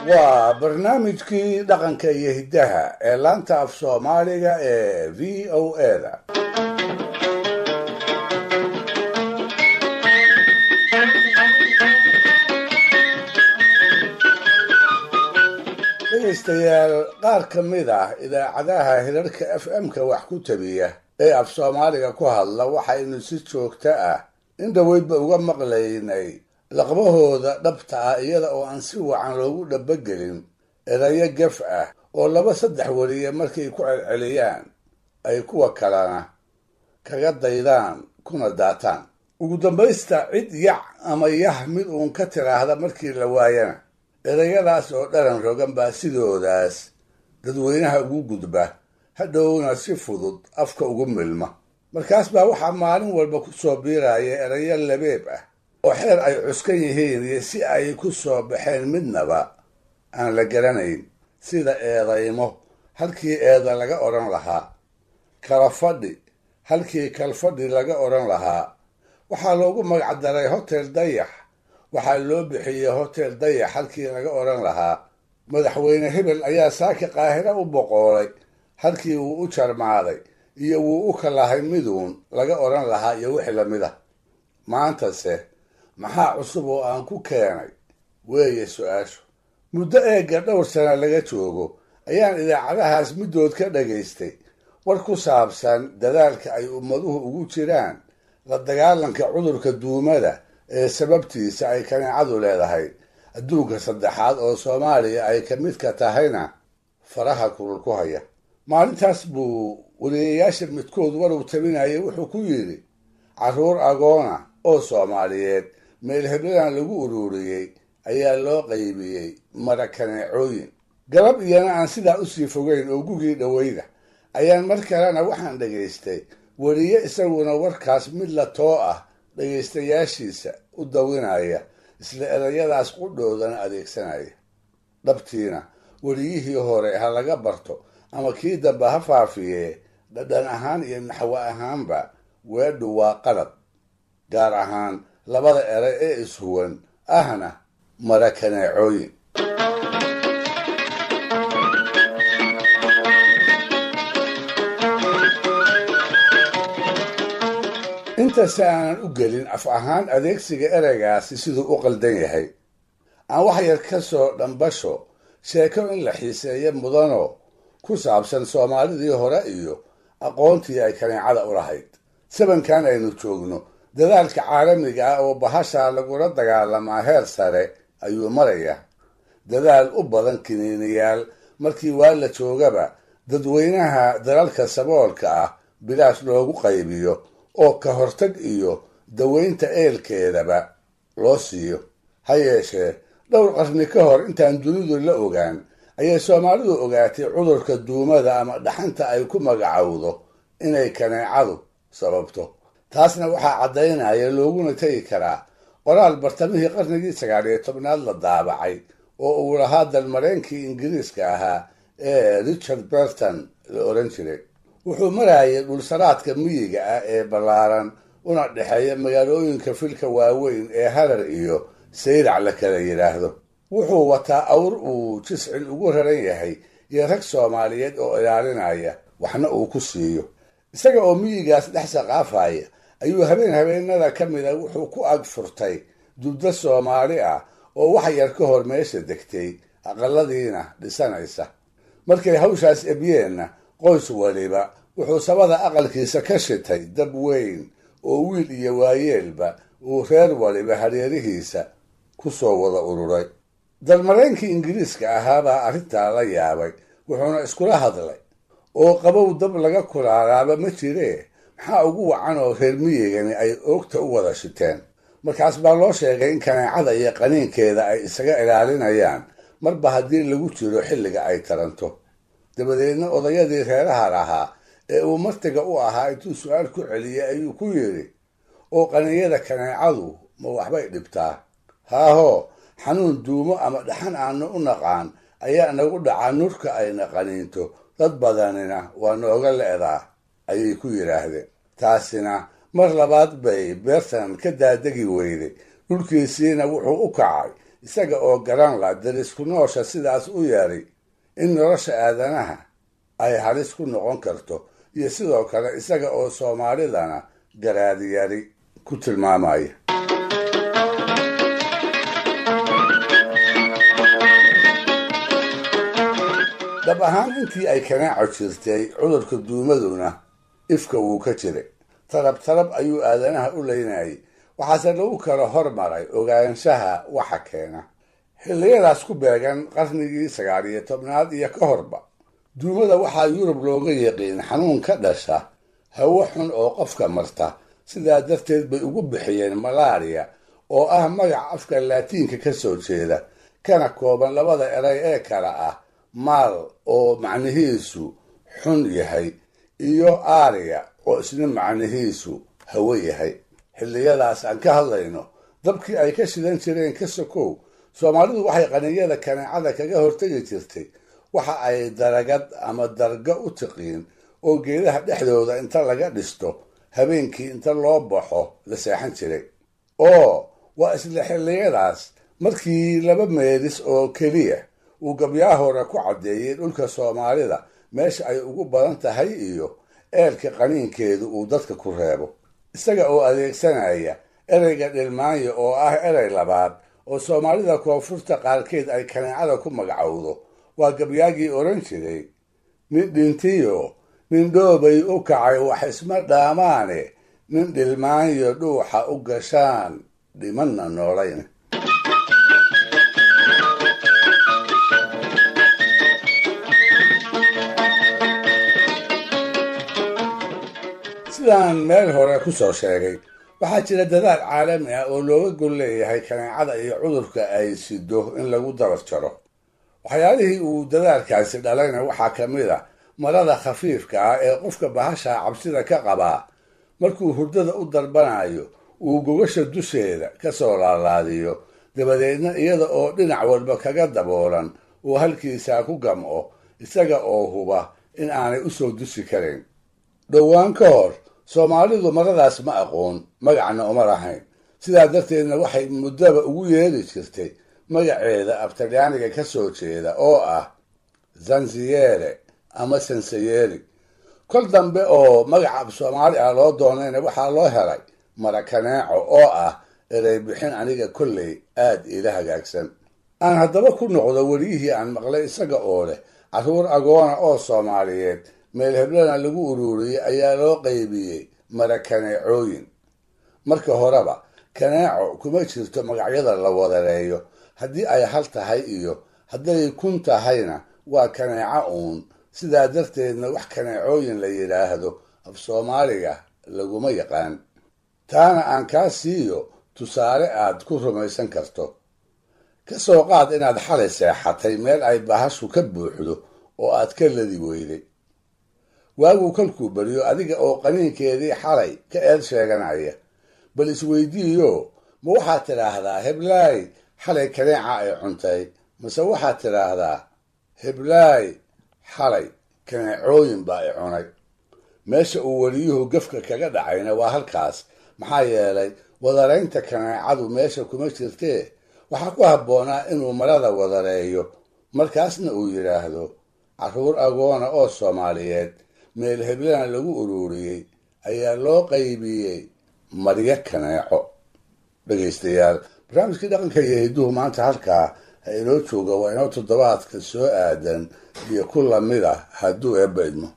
Waa barnaamijkii dhaqanka iyo hiddaha ee laanta af Soomaaliga ee VOA-da. Dhegaystayaal, qaar ka mid ah idaacadaha hirarka FM-ka wax ku tabiya ee af Soomaaliga ku hadla waxaynu si joogto ah in dhoweydba uga maqlaynay laqbahooda dhabta ah, iyada oo aan si wacan loogu dhabagelin erayo gaf ah oo laba saddex weliye markay ku celceliyaan ay kuwa kalena kaga daydaan kuna daataan. Ugu dambaysta cid yac ama yah mid uun ka tiraahda markii la waayana, erayadaas oo dharan rogan baa sidoodaas dadweynaha ugu gudba, hadhowna si fudud afka ugu milma. Markaas baa waxaa maalin walba ku soo biiraya erayo labeeb ah oo xeer ay cuskan yihiin iyo si ay ku soo baxeen midnaba aan la garanayn, sida eedaymo halkii eeda laga odhan lahaa, kala fadhi halkii kalfadhi laga odhan lahaa. Waxaa loogu magacdaray Hotel Dayax, waxaa loo bixiyey Hotel Dayax halkii laga odhan lahaa. Madaxweyne hebel ayaa saaki Qaahiro u boqoolay halkii wuu u jarmaaday iyo wuu u kalahay miduun laga odhan lahaa, iyo wixii lamid ah. Maantase maxaa cusub oo aan ku keenay weeye su-aashu. Muddo eegga dhowr sana laga joogo ayaan idaacadahaas middood ka dhagaystay war ku saabsan dadaalka ay ummaduhu ugu jiraan la dagaalanka cudurka duumada ee sababtiisa ay kaneecadu leedahay, adduunka saddexaad oo Soomaaliya ay ka midka tahayna faraha kulul ku haya. Maalintaas buu weliyayaasha midkood waruu tabinayay wuxuu ku yidhi, carruur agoona oo Soomaaliyeed meel hebladan lagu ururiyey ayaa loo qaybiyey mara kaneecooyin. Galab iyana aan sidaa usii fogeyn oo gugii dhoweyda ayaan mar kalena waxaan dhagaystay weliye isaguna warkaas mid la too ah dhagaystayaashiisa u dawinaya, isla erayadaas qudhoodana adeegsanaya. Dhabtiina weliyihii hore ha laga barto ama kii dambe ha faafiyee, dhadhan ahaan iyo naxwo ahaanba weedhu waa qalad, gaar ahaan labada eray ee ishuwan ahna mara kaneecooyin. Intase aanan u gelin af ahaan adeegsiga ereygaasi siduu u qaldan yahay, aan wax yar ka soo dhambasho sheeko in la xiiseeyo mudanoo ku saabsan Soomaalidii hore iyo aqoontii ay kaneecada u lahayd. Sabankan aynu joogno dadaalka caalamiga ah oo bahashaa lagula dagaalamaa heer sare ayuu marayaa, dadaal u badan kiniiniyaal markii waa la joogaba dadweynaha dalalka saboolka ah bilaash loogu qaybiyo oo ka hortag iyo daweynta eelkeedaba loo siiyo. Ha yeeshee dhowr qarni ka hor intaan dunidu la ogaan ayay Soomaalidu ogaatay cudurka duumada ama dhaxanta ay ku magacowdo inay kaneecadu sababto. Taasna waxaa caddaynaya looguna tegi karaa qoraal bartamihii qarnigii 19aad la daabacay oo uu lahaa dalmareenkii Ingiriiska ahaa ee Richard Berton la oran jiray. Wuxuu marayay dhulsaraadka miyiga ah ee ballaaran una dhexeeya magaalooyinka filka waaweyn ee Harar iyo Sayrac la kala yidhaahdo. Wuxuu wataa awr uu jiscin ugu raran yahay iyo rag Soomaaliyeed oo ilaalinaya waxna uu ku siiyo. Isaga oo miyigaas dhex saqaafaya ayuu habeen habeenada ka mida wuxuu ku ag furtay dubdo Soomaali ah oo wax yar ka hor meesha degtay, aqaladiina dhisanaysa. Markay hawshaas ebyeenna, qoys waliba wuxuu sabada aqalkiisa ka shitay dab weyn oo wiil iyo waayeelba uu reer waliba hareerihiisa ku soo wada ururay. Dalmareenkii Ingiriiska ahaabaa arrintaa la yaabay, wuxuuna iskula hadlay, oo qabow dab laga kulaalaaba ma jiree, maxaa ugu wacan oo reer miyigani ay oogta u wada shiteen? Markaas baa loo sheegay in kaneecada iyo qaniinkeeda ay isaga ilaalinayaan marba haddii lagu jiro xilliga ay taranto. Dabadeedna odayadii reeraha lahaa ee uu martiga u ahaa intuu su-aal ku celiyey ayuu ku yidhi, oo qaninyada kaneecadu ma waxbay dhibtaa? Haahoo, xanuun duumo ama dhaxan aanu u naqaan ayaa nagu dhacaa nurka ayna qaniinto, dad badanina waa nooga le'daa, ayay ku yidhaahdeen. Taasina mar labaad bay Beertan ka daadegi weyday, dhulkiisiina wuxuu u kacay isaga oo garan la darisku noosha sidaas u yeeray in nolosha aadanaha ay halis ku noqon karto, iyo sidoo kale isaga oo soomaalidana garaadiyari ku tilmaamaya. Dhab ahaan intii ay kanaaco jirtay, cudurka duumaduna ifka wuu ka jiray. Tarab tarab ayuu aadanaha u leynayay, waxaase lagu kala hormaray ogaanshaha waxa keena. Xilliyadaas ku beegan qarnigii 19aad iyo ka horba, duumada waxaa Yurub looga yiqiin xanuun ka dhasha hawo xun oo qofka marta. Sidaa darteed bay ugu bixiyeen malaria, oo ah magac afka Laatiinka ka soo jeeda, kana kooban labada eray ee kala ah maal oo macnihiisu xun yahay iyo aria oo isna macnihiisu hawo yahay. Xilliyadaas aan ka hadlayno, dabkii ay ka shidan jireen ka sokow, soomaalidu waxay qaniyada kaneecada kaga hortegi jirtay waxa ay daragad ama dargo u tiqiin, oo geedaha dhexdooda inta laga dhisto habeenkii inta loo baxo la seexan jiray. Oo waa isla xilliyadaas markii laba meelis oo keliya uu gabyaa hore ku caddeeyey dhulka soomaalida meesha ay ugu badan tahay iyo eelka qaniinkeedu uu dadka ku reebo, isaga oo adeegsanaya ereyga dhilmaanyo oo ah erey labaad oo soomaalida koonfurta qaarkeed ay kaneecada ku magacowdo. Waa gabyaagii odhan jiray: nin dhintiyo nin dhoobay u kacay wax isma dhaamaane, nin dhilmaanyo dhuuxa u gashaan dhimanna noolayn. Sidaan meel hore ku soo sheegay, waxaa jira dadaal caalami ah oo looga gol leeyahay kaneecada iyo cudurka ay sido in lagu dabar jaro. Waxyaalihii uu dadaalkaasi dhalayna waxaa ka mid a marada khafiifka ah ee qofka bahasha cabsida ka qabaa markuu hurdada u darbanayo uu gogasha dusheeda ka soo laalaadiyo, dabadeedna iyada oo dhinac walba kaga daboolan uu halkiisaa ku gamco, isaga oo huba in aanay usoo dusi karayn. Dhowaan ka hor soomaalidu maradaas ma aqoon, magacna uma lahayn. Sidaa darteedna waxay muddaba ugu yeeri jirtay magaceeda abtalyaaniga ka soo jeeda oo ah zanziyeere ama sansayeri. Kol dambe oo magaca af soomaali ah loo doonayna waxaa loo helay marakaneeco, oo ah erey bixin aniga kolley aad iila hagaagsan. Aan haddaba ku noqdo weliyihii aan maqlay isaga oo leh carruur agoona oo soomaaliyeed meel heblana lagu ururiyey ayaa loo qaybiyey marakaneecooyin. Marka horeba kaneeco kuma jirto magacyada la wadareeyo. Haddii ay hal tahay iyo hadday kun tahayna waa kaneeco uun. Sidaa darteedna wax kaneecooyin la yidhaahdo af soomaaliga laguma yaqaan. Taana aan kaa siiyo tusaale aad ku rumaysan karto. Ka soo qaad inaad xalay seexatay meel ay bahashu ka buuxdo oo aad ka ladi weyday. Waaguu kolkuu beriyo, adiga oo qaniinkeedii xalay ka eed sheeganaya, bal isweydiiyo: ma waxaad tidhaahdaa heblaay xalay kaneeca ay cuntay, mase waxaad tidhaahdaa heblaay xalay kaneecooyin baa i cunay? Meesha uu weliyuhu gafka kaga dhacayna waa halkaas, maxaa yeelay wadaraynta kaneecadu meesha kuma jirtee waxaa ku habboonaa inuu marada wadareeyo, markaasna uu yidhaahdo carruur agoona oo soomaaliyeed meel heblana lagu ururiyey ayaa loo qaybiyey maryo kaneeco. Dhegaystayaal, barnaamijkii dhaqanka iyo hidduhu maanta halkaa ha inoo jooga. Waa inoo toddobaadka soo aadan iyo ku lamid ah hadduu eebba idmo.